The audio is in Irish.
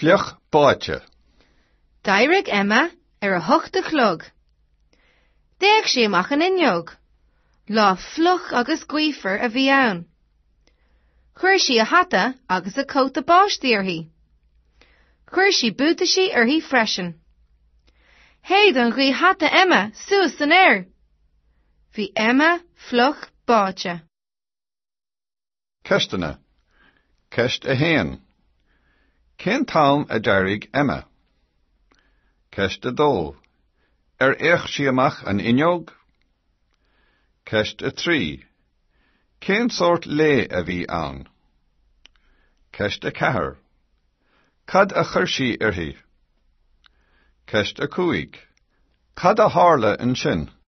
Fliuch báite. D'éirigh Emma ar a hocht a chlog. D'fhéach sí amach an fhuinneog. Lá fliuch agus gaofar a bhí ann. Chuir sí a hata agus a cóta báistí uirthi. Chuir sí buataisí uirthi freisin. Shéid an ghaoth hata Emma suas san aer. Bhí Emma fliuch báite. Ceisteanna. Ceist 1. Cén t-am a d'éirigh Emma? Ceist 2. Ar fhéach sí amach an fhuinneog? Ceist 3. Cén sórt lae a bhí ann? Ceist 4. Cad a chuir sí uirthi? Ceist 5. Cad a tharla ansin?